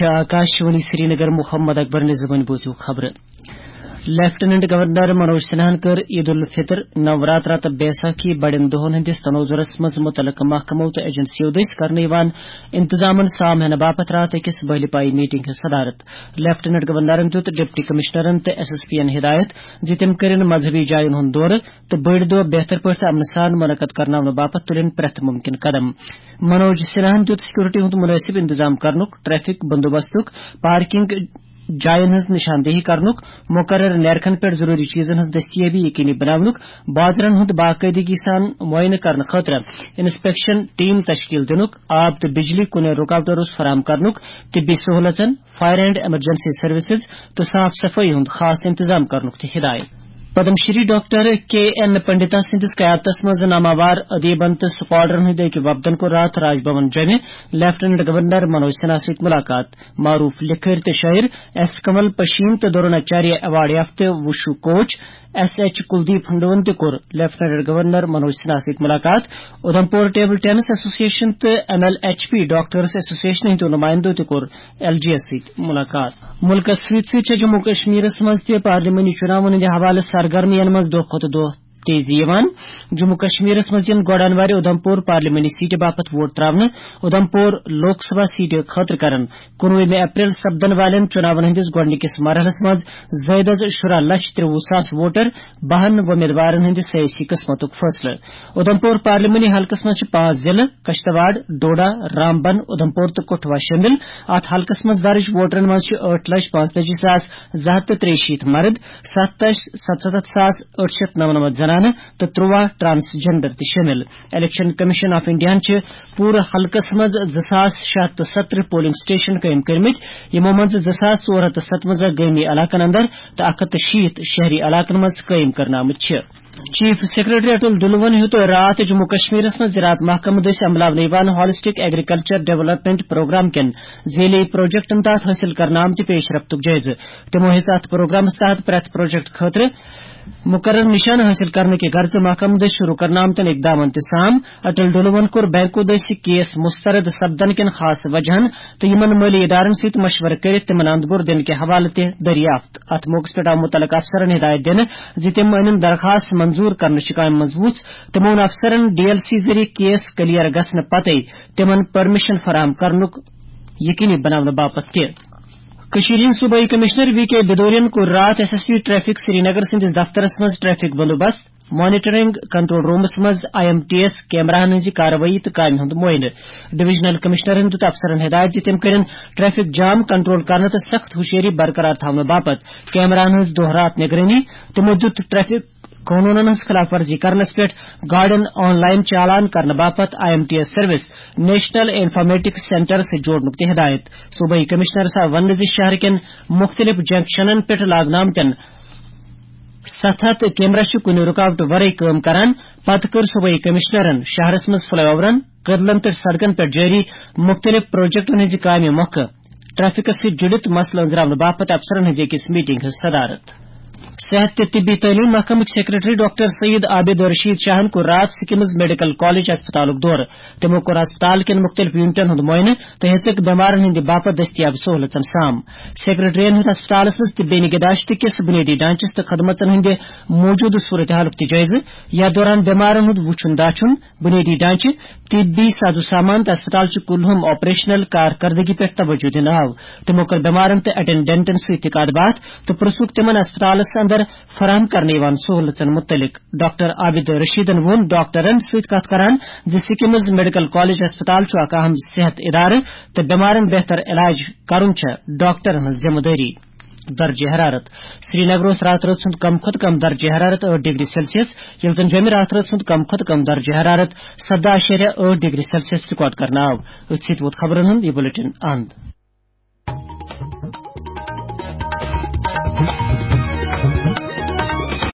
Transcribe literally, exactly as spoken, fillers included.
آکاشوانی سرینگر، محمد اکبر نظامن بوزِو خبرٕ۔ Lieutenant governor Manoj سنہاہن کٔر عید الفطر، نوراترا تہٕ بیساکھی بڑٮ۪ن دۄہن ہٕنٛدِس تنوظرس منٛز مُتعلقہٕ محکمو تہٕ ایجنسیو دٔسۍ کرنہٕ یِوان انتظامن سام ہینہٕ باپتھ راتھ أکِس بٔلہِ پایہِ میٹنگ ہٕنٛز صدارت۔ لیفٹیننٹ گورنرن دیُت ڈپٹی کمشنرن تہٕ ایس ایس پی ین ہدایت زِ تِم کٔرِن مذہبی جاین ہُنٛد دورٕ تہٕ بٔڑۍ دۄہ بہتر پٲٹھۍ تہٕ امنہٕ سان منعقد کرناونہٕ باپتھ تُلِن پرٛٮ۪تھ مُمکِن قدم۔ منوج سنہاہن دیُت سکیورٹی ہُنٛد مُنٲسِب انتظام کرنُک، ٹریفک بندوبستُک، پارکنگ جاین ہٕنٛز نشاندہی کرنُک، مقرر نیرخن پٮ۪ٹھ ضروری چیزن ہٕنٛز دستیٲبی یقینی بناونُک، بازرن ہُنٛد باقٲعدگی سان معائنہٕ کرنہٕ خٲطرٕ انسپیکشن ٹیم تشکیل دِنُک، آب تہٕ بجلی کُنہِ رُکاوٹہٕ روٚس فراہم کرنُک، طبی سہولژن، فائر اینڈ ایمرجنسی سروسز تہٕ صاف صفائی ہُنٛد خاص انتظام کرنُک تہِ ہدایت۔ پدم شری ڈاکٹر کے این پنڈتا سٕنٛدِس قیادتس منٛز ناماوار ادیبن تہٕ سکالرن ہٕنٛدۍ أکۍ وفدن کوٚر راتھ راج بھون جوٚمہِ لیفٹیننٹ گورنر منوج سنہا سۭتۍ ملاقات۔ معروف لکھٲرۍ تہٕ شٲعر ایس کنول پشین تہٕ دروناچاریہ ایوارڈ یافتہٕ وشو coach S H Kuldeep Handoo تہِ کوٚر لیفٹیننٹ گورنر منوج سنہا سۭتۍ ملاقات۔ اُدھمپور ٹیبل ٹینس ایسوسیشن تہٕ M L H P doctors association ہٕنٛدیو نمایندو تہِ کوٚر ایل جی یس سۭتۍ ملاقات۔ مُلکس سۭتۍ سۭتۍ چھےٚ جموں کشمیرس منٛز تہِ پارلیمانی چُناون ہٕنٛدِ حوالہٕ سرگرمیَن منٛز دۄہ کھۄتہٕ دۄہ تیزی یِوان۔ جموں کشمیرس منٛز یِن گۄڈٕنوارِ اُدھمپور پارلیمانی سیٹہِ باپتھ ووٹ تراونہٕ۔ اُدھمپور لوک سبھا سیٹہِ خٲطرٕ کرن کُنوُہمہِ اپریل سپدن والٮ۪ن چُناون ہٕنٛدِس گۄڈٕنِکِس مرحلس منٛز زٲیدٕ از شُراہ لچھ ترٛوُہ ساس ووٹر بہن وۄمیدوارن ہٕنٛدِ سیٲسی قٕسمتُک فٲصلہٕ۔ اُدھمپور پارلیمانی حلقس منٛز چھِ پانٛژھ ضلعہٕ، کشتواڑ، ڈوڈا، رامبن، اُدھمپور تہٕ کٹھوا شٲمِل۔ اتھ حلقس منٛز درٕج ووٹرن منٛز چھِ ٲٹھ لچھ پانٛژتٲجی ساس زٕ ہتھ تہٕ ترٛیہِ شیٖتھ مرد، ستھ لچھ ستستھ ساس ٲٹھ شیٚتھ نمنمتھ زنانہٕ تہٕ ترٛواہ ٹرانسجینڈر تہِ شٲمِل۔ الیکشن کمیشن آف انڈیاہن چھِ پوٗرٕ حلقس منٛز زٕ ساس شےٚ ہتھ تہٕ ستترٕہ پولنگ سٹیشن قٲیِم کٔرمٕتۍ، یِمو منٛز زٕ ساس ژور ہتھ تہٕ ستوَنزاہ گٲمی علاقن اندر تہٕ اکھ ہتھ تہٕ شیٖتھ شہری علاقن منٛز قٲیِم کرنہٕ آمٕتۍ چھِ۔ چیف سیکرٹری اٹل ڈلون ہیوٚت راتھ جموں کشمیرس منٛز زراعت محکمہٕ دٔسۍ عملاونہٕ یِوان ہالسٹک ایگریکلچر ڈیولپمنٹ پروگرام کٮ۪ن ذیلی پروجیکٹن تحت حٲصِل کرنہٕ آمتہِ پیش رفتُک جٲیزٕ۔ تِمو ہیٚژ اتھ پروگرامس تحت پرٛٮ۪تھ پروجیکٹ خٲطرٕ مقرر نشانہٕ حٲصِل کرنہٕ کہِ غرضہٕ محکمہٕ دٔسۍ شروع کرنہٕ آمتٮ۪ن اقدامن تہِ سام۔ اٹل ڈلون کوٚر بینکو دٔسۍ کیس مسترد سپدن کٮ۪ن خاص وجہن تہٕ یِمن مٲلی ادارن سۭتۍ مشورٕ کٔرِتھ تِمن اندپور دِنہٕ کہِ حوالہٕ تہِ دریافت۔ اتھ موقعس پٮ۪ٹھ آو مُتعلقہٕ افسرن ہدایت دِنہٕ زِ تِم أنِن درخاست منظور کرنہٕ چہِ کامہِ منٛز وُژھ۔ تِمو ووٚن افسرن ڈی ایل سی ذٔریعہٕ کیس کلیئر گژھنہٕ پتے تِمن پرمیشن فراہم کرنُک یقینی بناونہٕ باپتھ تہِ۔ کٔشیٖرِ ہٕنٛدۍ صوبٲئی کمشنر وی کے بدورین کوٚر راتھ S S P traffic Srinagar سٕنٛدِس دفترس منٛز ٹریفک بندوبست، مانیٹرنگ کنٹرول رومس منٛز آئی ایم ٹی ایس کیمراہن ہٕنٛزِ کاروٲیی تہٕ کامہِ ہُنٛد معائنہٕ۔ ڈویژنل کمشنرن دیُت افسرن ہدایت زِ تِم کٔرِن ٹریفک جام کنٹرول کرنہٕ تہٕ سخت ہوشیٲری برقرار تھاونہٕ باپتھ کیمراہن ہٕنٛز دۄہ راتھ نگرٲنی۔ تِمو دیُت ٹریفک قونوٗنن ہٕنٛز خلاف ورزی کرنس پٮ۪ٹھ گاڑٮ۪ن آن لائن چالان کرنہٕ باپتھ I am T S service national informatics centre سۭتۍ جوڑنُک تہِ ہدایت۔ صوبٲئی کمشنرس آو وننہٕ زِ شہر کٮ۪ن مُختٔلِف جنکشنن پٮ۪ٹھ لاگنہٕ آمتٮ۪ن ستھ ہتھ کیمرہ چھِ کُنہِ رُکاوٹہٕ ورٲے کٲم کران۔ پتہٕ کٔر صوبٲئی کمشنرن شہرس منٛز فلائی اوورن، کدلن تہٕ سڑکن پٮ۪ٹھ جٲری مُختٔلِف پروجیکٹن ہٕنٛزِ کامہِ مۄکھٕ ٹریفکس سۭتۍ جُڑِتھ مسلہٕ أنٛزراونہٕ باپتھ افسرن ہٕنٛزِ أکِس میٹنگ ہٕنٛز صدارت۔ صحت تہٕ طبی تعلیٖم محکمٕکۍ سیکرٹری ڈاکٹر سید عابد رشید شاہن کوٚر راتھ سکمز میڈیکل کالج ہسپتالُک دورٕ۔ تِمو کوٚر ہسپتال کٮ۪ن مُختٔلِف یونٹن ہُنٛد معائنہٕ تہٕ ہیٚژٕکھ بٮ۪مارن ہٕنٛدِ باپتھ دٔستیاب سہوٗلژن سام۔ سیکرٹریَن ہیوٚت ہسپتالس منٛز طبی نگہداشت کِس بُنیٲدی ڈھانچس تہٕ خدمژن ہٕنٛدِ موٗجوٗدٕ صورتحالُک تہِ جٲیزٕ۔ یَتھ دوران بٮ۪مارن ہُنٛد وُچھُن داچھُن، بُنیٲدی ڈھانچہٕ، طبی ساز و سامان تہٕ ہسپتال چہِ کُلہُم آپریشنل کارکردگی پٮ۪ٹھ توجہ دِنہٕ آو۔ تِمو کٔر بٮ۪مارن تہٕ اٹینڈنٹن سۭتۍ تہِ کتھ باتھ تہٕ پرژھُکھ تِمن ہسپتالس اندر فراہم کرنہٕ یِوان سہوٗلژن مُتعلق۔ ڈاکٹر عابد رشیدن ووٚن ڈاکٹرن سۭتۍ کتھ کران زِ سکمز میڈیکل کالج ہسپتال چھُ اکھ اہم صحت ادارٕ تہٕ بٮ۪مارن بہتر علاج کرُن چھےٚ ڈاکٹرن ہٕنٛز ذمہٕ دٲری۔ درجہ حرارت۔ سرینگر اوس راتہٕ رٲژ ہُنٛد کم کھۄتہٕ کم درجہ حرارت ٲٹھ ڈگری سیلسیس، ییٚلہِ زن جوٚمہِ راتہٕ رٲژ ہُنٛد کم کھۄتہٕ کم درجہ حرارت سداہ اعشاریہ ٲٹھ ڈگری سیلسیس رِکارڈ کرنہٕ آو۔ أتھۍ سۭتۍ ووت خبرن ہُنٛد یہِ بلیٹن اند۔